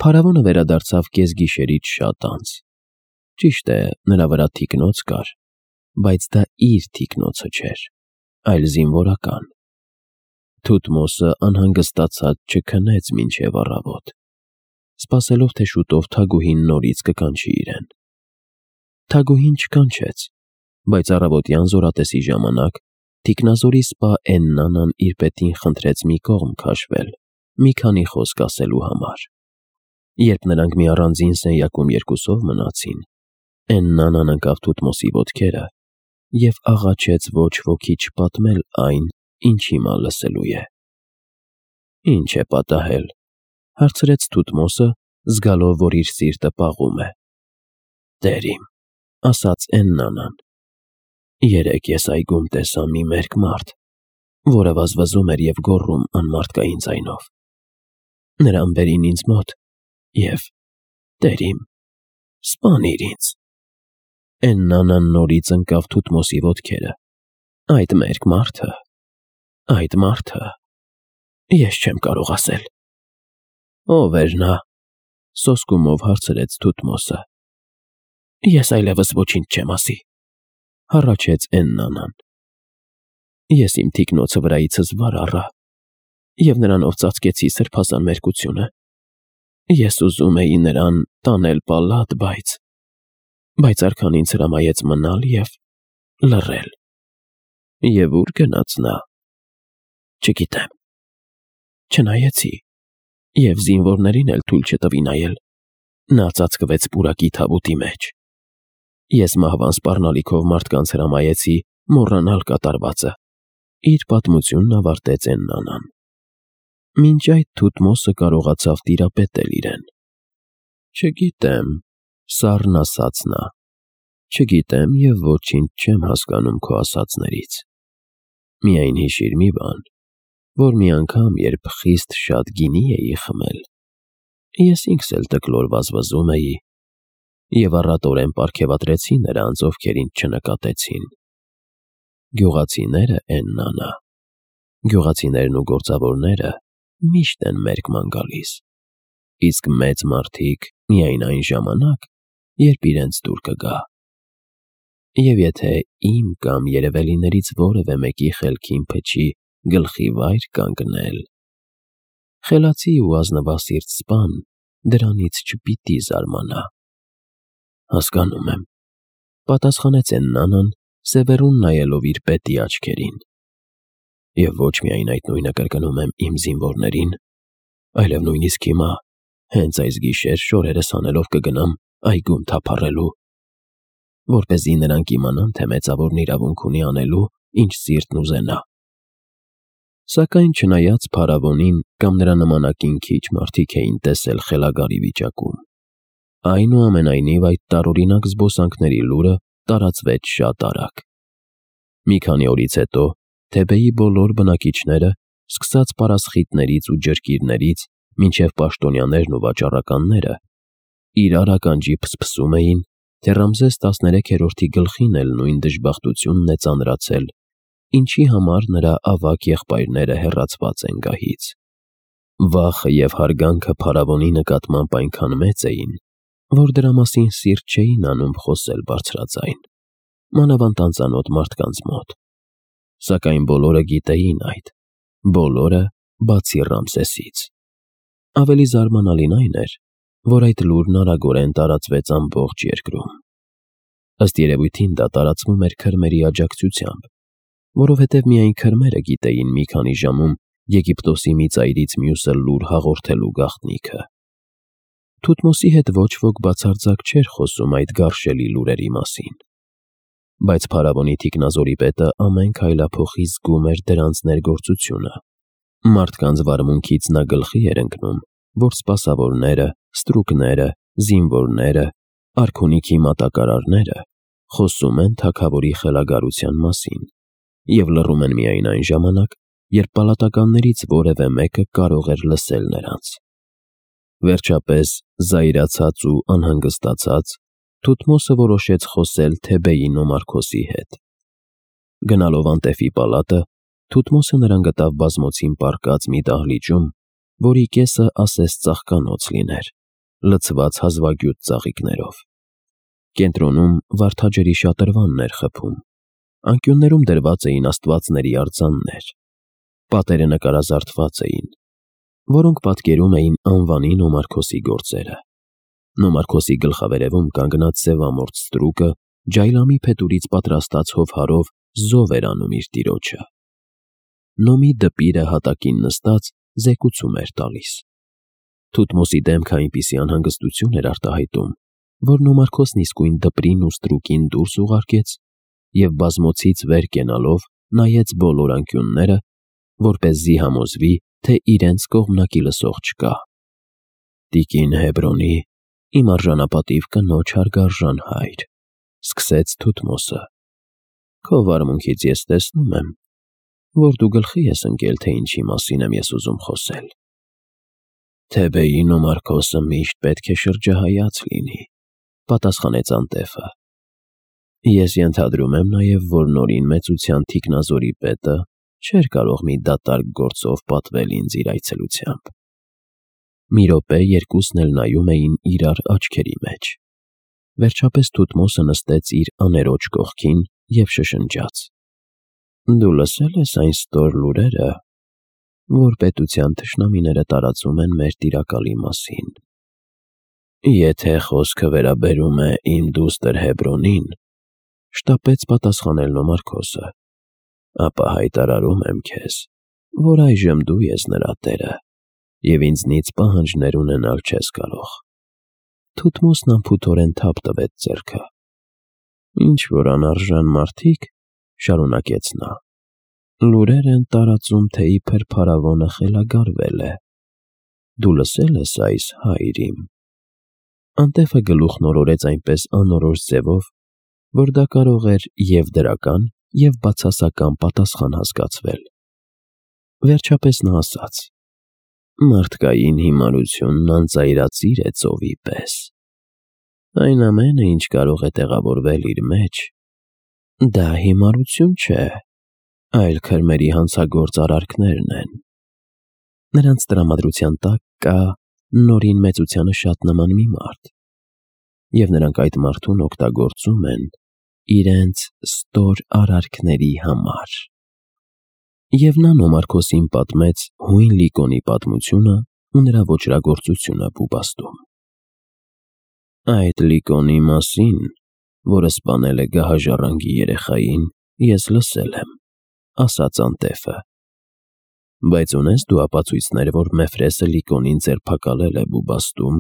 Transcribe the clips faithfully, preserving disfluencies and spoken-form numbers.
Փարավոնը վերադարձավ կեսգիշերից շատ անց։ Ճիշտ է, նրա վրա թիկնոց կար, բայց դա իր թիկնոցը չէր, այլ զինվորական։ Թութմոսը անհանգստացած չքնեց մինչև առավոտ, սպասելով, թե շուտով Թագուհին նորից կկանչի իրեն։ Թագուհին չկանչեց, բայց առավոտյան զորատեսի ժամանակ թիկնազորի սպա Էննանան իր պետին խնդրեց մի կողմ քաշվել, մի քանի խոսք ասելու համար։ Երբ նրանք մի առանձին սենյակում երկուսով մնացին, Էննանան ընկավ Թութմոսի ոտքերը և աղաչեց ոչ ոքի չպատմել այն, ինչ հիմա լսելու է։ Ինչ է պատահել, հարցրեց Թութմոսը, զգալով, որ իր սիրտը պաղում է։ Տեր իմ, ասաց Էննանան, երեկ ես այգում տեսա մի մերկ մարդ, որը վազվզում էր և գոռում անմարդկային ձայնով։ Նրան բերին ինձ մոտ և, տեր իմ, սպանիր ինձ։ Էննանան նորից ընկավ Թութմոսի ոտքերը։ Այդ մերկ մարդը, այդ մարդը, ես չեմ կարող ասել։ Ո՞վ էր նա, սոսկումով հարցրեց Թութմոսը։ Ես այլևս ոչինչ չեմ ասի, հառաչեց Էննանան։ Ես իմ թիկնոցը վրայիցս վար առա և նրանով ծածկեցի սրբազան մերկությունը։ Ես ուզում էի նրան տանել պալատ, բայց… բայց արքան ինձ հրամայեց մնալ և լռել։ Եվ ո՞ւր գնաց նա։ Չգիտեմ։ Չնայեցի և զինվորներին էլ թույլ չտվի նայել։ Նա ծածկվեց պուրակի թավուտի մեջ։ Ես մահվան սպառնալիքով մարդկանց հրամայեցի մոռանալ կատարվածը։ Իր պատմությունն ավարտեց Էննանան։ Մինչ այդ Թութմոսը կարողացավ տիրապետել իրեն։ Չգիտեմ, սառն ասաց նա, չգիտեմ և ոչինչ չեմ հասկանում քո ասածներից։ Միայն հիշիր մի բան, որ մի անգամ, երբ խիստ շատ գինի էի խմել, ես ինքս էլ տկլոր վազվզում էի և առատորեն պարգևատրեցի նրանց, ովքեր ինձ չնկատեցին։ Գյուղացիները, Էննանա, գյուղացիներն ու գործավորները միշտ են մերկման գալիս, իսկ մեծ մարդիկ միայն այն ժամանակ, երբ իրենց դուր կգա։ Եվ եթե իմ կամ երևելիներից որևէ մեկի խելքին փչի գլխի վայր կանգնել, խելացի ու ազնվասիրտ սպան դրանից չպիտի զարմանա։ Հասկանում եմ, պատասխանեց Էննանան, սևեռուն նայելով իր պետի աչքերին։ Եվ ոչ միայն այդ նույնը կրկնում եմ իմ զինվորներին, այլև նույնիսկ հիմա, հենց այս գիշեր շորերս հանելով կգնամ այգում թափառելու, որպեսզի նրանք իմանան, թե մեծավորն իրավունք ունի անելու, ինչ սիրտն ուզենա։ Սակայն չնայած փարավոնին կամ նրա նմանակին քիչ մարդիկ էին տեսել խելագարի վիճակում, այնուամենայնիվ այդ տարօրինակ զբոսանքների լուրը տարածվեց շատ արագ։ Մի քանի օրից հետո Թեբեի բոլոր բնակիչները, սկսած պարասխիտներից ու ջրկիրներից, մինչև պաշտոնյաներն ու վաճառականները, իրար ականջի փսփսում էին, թե Ռամզես տասներեքերորդի գլխին էլ նույն դժբախտությունն է ծանրացել, ինչի համար նրա ավագ եղբայրները հեռացված են գահից։ Վախը և հարգանքը փարավոնի նկատմամբ այնքան մեծ էին, որ դրա մասին սիրտ չէին անում խոսել բարձրաձայն, մանավանդ անծանոթ մարդկանց մոտ։ Սակայն բոլորը գիտեին այդ, բոլորը բացի Ռամսեսից։ Ավելի զարմանալին այն էր, որ այդ լուրն արագորեն տարածվեց ամբողջ երկրում։ Ըստ երևույթին դա տարածվում էր քրմերի աջակցությամբ, որովհետև միայն քրմերը գիտեին մի քանի ժամում Եգիպտոսի մի ծայրից մյուսը լուր հաղորդելու գաղտնիքը։ Թութմոսի հետ ոչ ոք բացարձակ չէր խոսում այդ գարշելի լուրերի մասին, բայց փարավոնի թիկնազորի պետը ամեն քայլափոխի զգում էր դրանց ներգործությունը։ Մարդկանց վարմունքից նա գլխի էր ընկնում, որ սպասավորները, ստրուկները, զինվորները, արքունիքի մատակարարները խոսում են թագավորի խելագարության մասին և լռում են միայն այն ժամանակ, երբ պալատականներից որևէ մեկը կարող էր լսել նրանց։ Վերջապես, զայրացած ու անհանգստացած, Թութմոսը որոշեց խոսել Թեբեի նոմարքոսի հետ։ Գնալով անտեֆի պալատը, Թութմոսը նրան գտավ բազմոցին պառկած մի դահլիճում, որի կեսը ասես ծաղկանոց լիներ, լցված հազվագյուտ ծաղիկներով։ Կենտրոնում վարդաջրի շատրվանն էր խփում, անկյուններում դրված էին աստվածների արձաններ, պատերը նկարազարդված էին, որոնք պատկերում էին անվանի Նոմարքոսի գործերը։ Նոմարքոսի գլխավերևում կանգնած սևամորթ ստրուկը ջայլամի փետուրից պատրաստած հովհարով զով էր անում իր տիրոջը։ Նոմի դպիրը հատակին նստած զեկուցում էր տալիս։ Թութմոսի դեմքը այնպիսի անհանգստություն էր արտահայտում, որ Նոմարքոսն իսկույն դպրին ու ստրուկին դուրս ուղարկեց և բազմոցից վեր կենալով նայեց բոլոր անկյունները, որպեսզի համոզվի, թե իրենց կողմնակի լսող չկա։ «Տիկին Հեբրոնի, իմ արժանապատիվ կնոջ հարգարժան հայր», սկսեց Թութմոսը, «քո վարմունքից ես տեսնում եմ, որ դու գլխի ես ընկել, թե ինչի մասին եմ ես ուզում խոսել։ Թեբեի Նոմարքոսը միշտ պետք է շրջահայաց լինի», պատասխանեց անտέφը։ «Ես ենթադրում եմ նաև, որ նորին մեծության թիկնազորի պետը չէր կարող մի դատարկ գործով պատվել ինձ իր այցելությամբ»։ Մի րոպե երկուսն էլ նայում էին իրար աչքերի մեջ։ Վերջապես Թութմոսը նստեց իր աներոջ կողքին և շշնջաց. «Դու լսե՞լ ես այն ստոր լուրերը, որ պետության թշնամիները տարածում են մեր տիրակալի մասին»։ «Եթե խոսքը վերաբերում է իմ դուստր Հեբրոնին», շտապեց պատասխանել Նոմարքոսը, «ապա հայտարարում եմ քեզ, որ այժմ դու ես նրա տերը և ինձնից պահանջներ ունենալ չես կարող»։ Թութմոսն անփութորեն թափ տվեց ձեռքը։ «Ինչ-որ անարժան մարդիկ», շարունակեց նա, «լուրեր են տարածում, թե իբր փարավոնը խելագարվել է։ Դու լսե՞լ ես այս, հայր իմ»։ Անտέφը գլուխն օրորեց այնպես անորոշ ձևով, որ դա կարող էր և դրական, և բացասական պատասխան հասկացվել։ Վերջապես նա ասաց. «Մարդկային հիմարությունն անծայրածիր է ծովի պես։ Այն ամենը, ինչ կարող է տեղավորվել իր մեջ, դա հիմարություն չէ, այլ քրմերի հանցագործ արարքներն են։ Նրանց տրամադրության տակ կա Նորին մեծությանը շատ նման մի մարդ, և նրանք այդ մարդուն օգտագործում են իրենց ստոր արարքների համար»։ Եվ նա Նոմարքոսին պատմեց հույն Լիկոնի պատմությունը ու նրա ոճրագործությունը Բուբաստում։ «Այդ Լիկոնի մասին, որը սպանել է գահաժառանգի երեխային, ես լսել եմ», ասաց անտέφը։ «Բայց ունե՞ս դու ապացույցներ, որ Մեֆրեսը Լիկոնին ձերբակալել է Բուբաստում,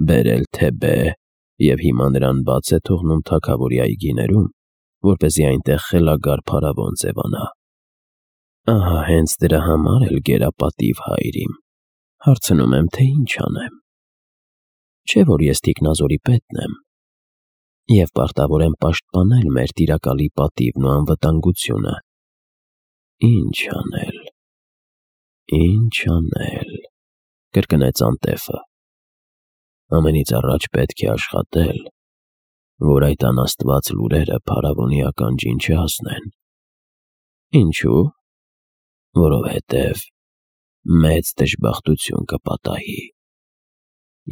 բերել Թեբե և հիմա նրան բաց է թողնում թագավորի այգիներում, որպեսզի այնտեղ խելագար փարավոն ձևանա։ Ահա հենց դրա համար էլ գերապատիվ, հայր իմ, հարցնում եմ, թե ինչ անեմ։ Չէ՞ որ ես թիկնազորի պետն եմ և պարտավոր եմ պաշտպանել մեր տիրակալի պատիվն ու անվտանգությունը։ Ինչ անել, ինչ անել», կրկնեց անտέφը։ «Ամենից առաջ պետք է աշխատել, որ այդ անաստված լուրերը փարավոնի ականջին չհասնեն։ Ինչու՞։ Որովհետև մեծ դժբախտություն կպատահի։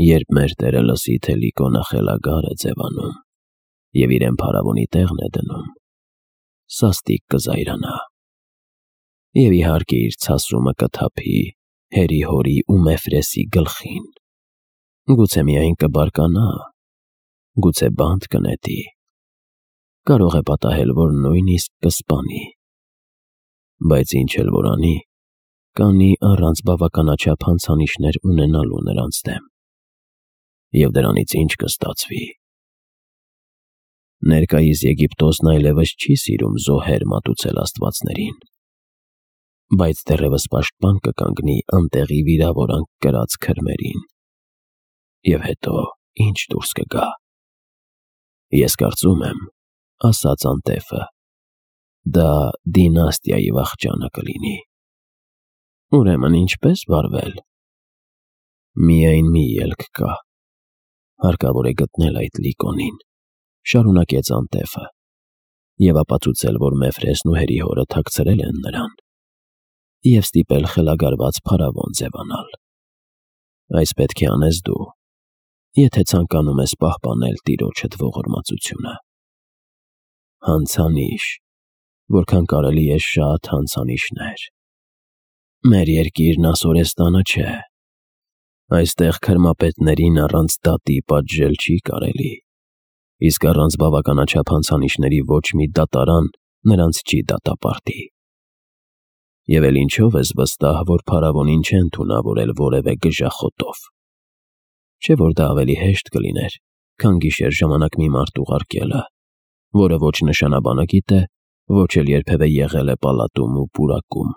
Երբ մեր տերը լսի, թե Լիկոնը խելագար է ձևանում և իրեն փարավոնի տեղն է դնում, սաստիկ կզայրանա և իհարկե իր ցասումը կթափի հերի֊հորի ու Մեֆրեսի գլխին։ Գուցե միայն կբարկանա, գուցե բանտ կնետի, կարող է պատահել, որ նույնիսկ կսպանի։ Բայց ինչ էլ որ անի, կանի առանց բավականաչափ հանցանիշներ ունենալու նրանց դեմ։ Եվ դրանից ինչ կստացվի։ Ներկայիս Եգիպտոսն այլևս չի սիրում զոհեր մատուցել աստվածներին, բայց դեռևս պաշտպան կկանգնի անտեղի վիրավորանք կրած քրմերին։ Եվ հետո ինչ դուրս կգա։ Ես կարծում եմ, ասաց անտέφը, դա դինաստիայի վախճանը կլինի։ Ուրեմն ինչպե՞ս վարվել։ Միայն մի ելք կա. հարկավոր է գտնել այդ Լիկոնին, շարունակեց անտέφը, և ապացուցել, որ Մեֆրեսն ու հերի-հորը թաքցրել են նրան, և ստիպել խելագարված փարավոն ձևանալ։ Այս պետք է անես դու, եթե ցանկանում ես պահպանել տիրոջդ ողորմածությունը։ Հանցանիշ, որքան կարելի է շատ հանցանիշներ։ Մեր երկիրն ասորեստանը չէ։ Այստեղ քրմապետներին առանց դատի պատժել չի կարելի, իսկ առանց բավականաչափ հանցանիշների ոչ մի դատարան նրանց չի դատապարտի։ Եվ էլ ինչով ես վստահ, որ փարավոնին չեն թունավորել որևէ գժախոտով։ Չէ՞ որ դա ավելի հեշտ կլիներ, քան գիշեր ժամանակ մի մարդ ուղարկելը, որը ոչ նշանաբանը գիտե, ոչ էլ երբևէ եղել է պալատում ու պուրակում։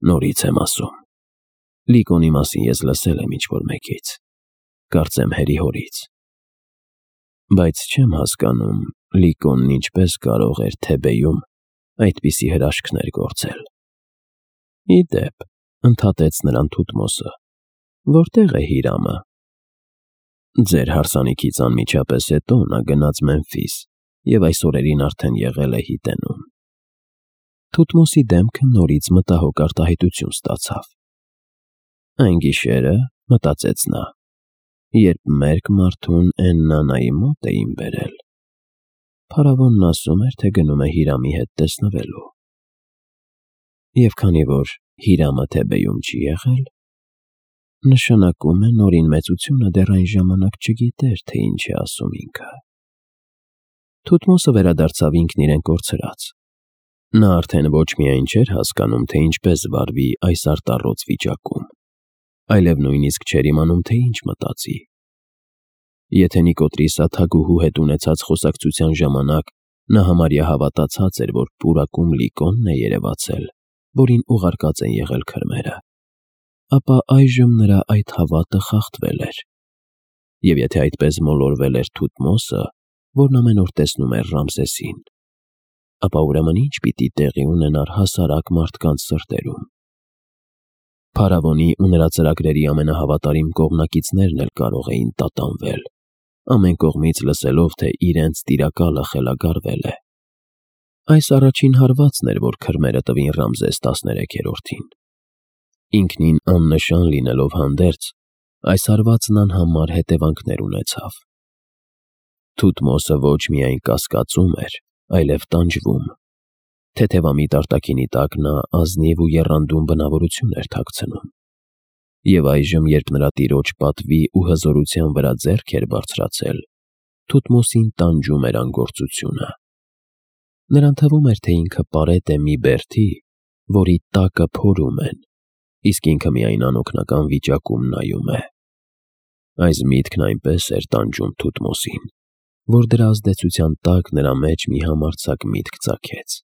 Նորից եմ ասում, Լիկոնի մասին ես լսել եմ ինչ-որ մեկից, կարծեմ հերի հորից։ Բայց չեմ հասկանում, Լիկոնն ինչպես կարող էր Թեբեյում այդպիսի հրաշքներ գործել։ Ի դեպ, ընդհատեց նրան Թութմոսը, որտե՞ղ է Հիրամը։ Ձեր հարսանիքից անմիջապես հետո նա գնաց Մեմֆիս և այս օրերին արդեն եղել է Հիտենում։ Թութմոսի դեմքը նորից մտահոգ արտահայտություն ստացավ։ Այն գիշերը, մտածեց նա, երբ մերկ մարդուն Էննանայի մոտ էին բերել, փարավոնն ասում էր, թե գնում է Հիրամի հետ տեսնվելու։ Եվ քանի որ Հիրամը Թեբեյում չի եղել, նշանակում է Նորին մեծությունը դեռ այն ժամանակ չգիտեր, թե ինչ է ասում ինքը։ Թութմոսը վերադարձավ ինքն իրեն կորցրած։ Նա արդեն ոչ միայն չէր հասկանում, թե ինչպես վարվի այս արտառոց վիճակում, այլև նույնիսկ չէր իմանում, թե ինչ մտածի։ Եթե Նիկոտրիսը թագուհու հետ ունեցած խոսակցության ժամանակ նա համարյա հավատացած էր, որ պուրակում Լիկոնն է երևացել, որին ուղարկած են եղել քրմերը, ապա այժմ նրա այդ հավատը խախտվել էր։ Եվ եթե այդպես մոլորվել էր Թութմոսը, որն ամեն օր տեսնում էր Ռամսեսին, ապա ուրեմն ինչ պիտի տեղի ունենար հասարակ մարդկանց սրտերում։ Փարավոնի ու նրա ծրագրերի ամենահավատարիմ կողմնակիցներն էլ կարող էին տատանվել, ամեն կողմից լսելով, թե իրենց տիրակալը խելագարվել է։ Այս առաջին հարվածն էր, որ քրմերը տվին Ռամզես տասներեքերորդին։ Ինքնին աննշան լինելով հանդերձ, այս հարվածն անհամար հետևանքներ ունեցավ։ Թութմոսը ոչ միայն կասկածում էր, այլև տանջվում։ Թեթևամիտ արտաքինի տակ նա ազնիվ ու եռանդուն բնավորություն էր թաքցնում։ Եվ այժմ, երբ նրա տիրոջ պատվի ու հզորության վրա ձեռք էր բարձրացել, Թութմոսին տանջում էր անգործությունը։ Նրան թվում էր, թե ինքը պարետ է մի բերդի, որի տակը փորում են, իսկ ինքը միայն անօգնական վիճակում նայում է։ Այս միտքն այնպես էր տանջում Թութմոսին, որ դրա ազդեցության տակ նրա մեջ մի համարձակ միտք ծագեց։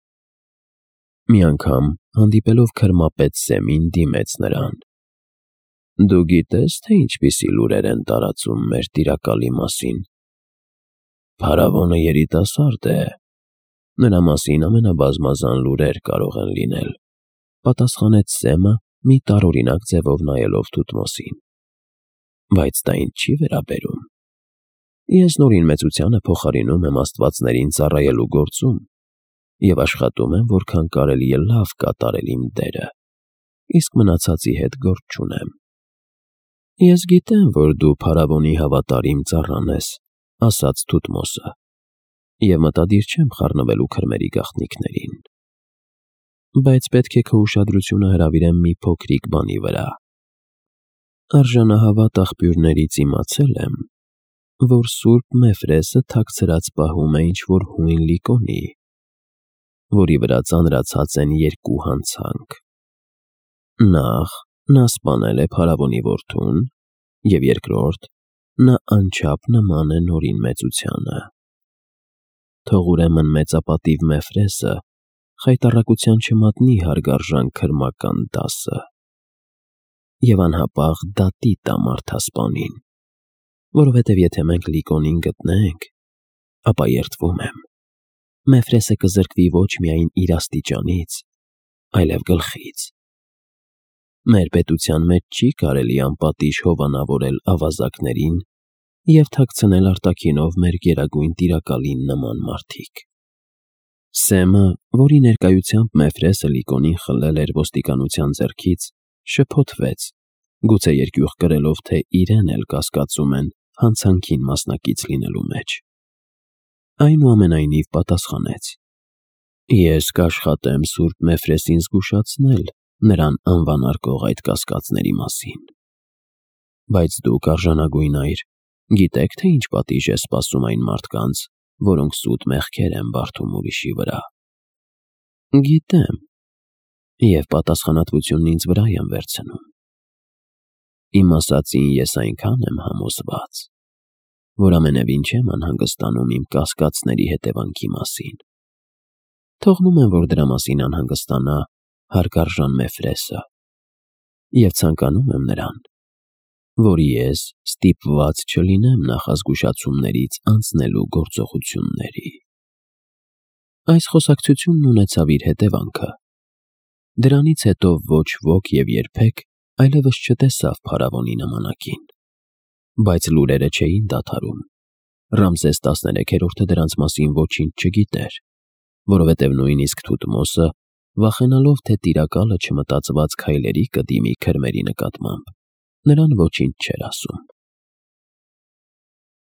Մի անգամ, հանդիպելով քրմապետ Սեմին, դիմեց նրան. Դու գիտես, թե ինչպիսի լուրեր են տարածում մեր տիրակալի մասին։ Փարավոնը երիտասարդ է, նրա մասին ամենաբազմազան լուրեր կարող են լինել, պատասխանեց Սեմը մի տարօրինակ ձևով նայելով Թութմոսին։ Բայց դա ինձ չի վերաբերում։ Ես Նորին մեծությանը փոխարինում եմ աստվածներին ծառայելու գործում և աշխատում եմ, որքան կարելի է լավ կատարել իմ դերը, իսկ մնացածի հետ գործ չունեմ։ Ես գիտեմ, որ դու փարավոնի հավատարիմ ծառան ես, ասաց Թութմոսը, և մտադիր չեմ խառնվելու քրմերի գաղտնիքներին։ Բայց պետք է քո ուշադրությունը հրավիրեմ մի փոքրիկ բանի վրա։ Արժանահավատ աղբյուրներից իմացել եմ, որ Սուրբ Մեֆրեսը թաքցրած պահում է ինչ-որ հույն Լիկոնի, որի վրա ծանրացած են երկու հանցանք։ Նախ, նա սպանել է փարավոնի որդուն, և երկրորդ, նա անչափ նման է Նորին մեծությանը։ Թող ուրեմն մեծապատիվ Մեֆրեսը խայտառակության չմատնի հարգարժան քրմական դասը և անհապաղ դատի տա մարդասպանին, որովհետև եթե մենք Լիկոնին գտնենք, ապա երդվում եմ, Մեֆրեսը կզրկվի ոչ միայն իր աստիճանից, այլև գլխից։ Մեր պետության մեջ չի կարելի անպատիժ հովանավորել ավազակներին և թաքցնել արտաքինով մեր գերագույն տիրակալին նման մարդիկ։ Սեմը, որի ներկայությամբ Մեֆրեսը Լիկոնին խլել էր ոստիկանության ձեռքից, շփոթվեց, գուցե երկյուղ կրելով, թե իրեն էլ կասկածում են հանցանքին մասնակից լինելու մեջ։ Այնուամենայնիվ պատասխանեց. Ես կաշխատեմ Սուրբ Մեֆրեսին զգուշացնել նրան անվանարկող այդ կասկածների մասին։ Բայց դուք արժանագույն այր, գիտեք, թե ինչ պատիժ է սպասում այն մարդկանց, որոնք սուտ մեղքեր են բարդում ուրիշի վրա։ Գիտեմ, և պատասխանատվությունն ինձ վրա եմ վերցնում։ Իմ ասածին ես այնքան եմ համոզված, որ ամենևին չեմ անհանգստանում իմ կասկածների հետևանքի մասին։ Թողնում եմ, որ դրա մասին անհանգստանա հարգարժան Մեֆրեսը, և ցանկանում եմ նրան, որ ես ստիպված չլինեմ նախազգուշացումներից անցնելու գործողությունների։ Այս խոսակցությունն ունեցավ իր հետևանքը։ Դրանից հետո ոչ ոք և երբեք այլևս չտեսավ փարավոնի նմանակին։ Բայց լուրերը չէին դադարում։ Ռամզես տասներեքերորդը դրանց մասին ոչինչ չգիտեր, որովհետև նույնիսկ Թութմոսը, վախենալով, թե տիրակալը չմտածված քայլերի կդիմի քրմերի նկատմամբ, նրան ոչինչ չէր ասում։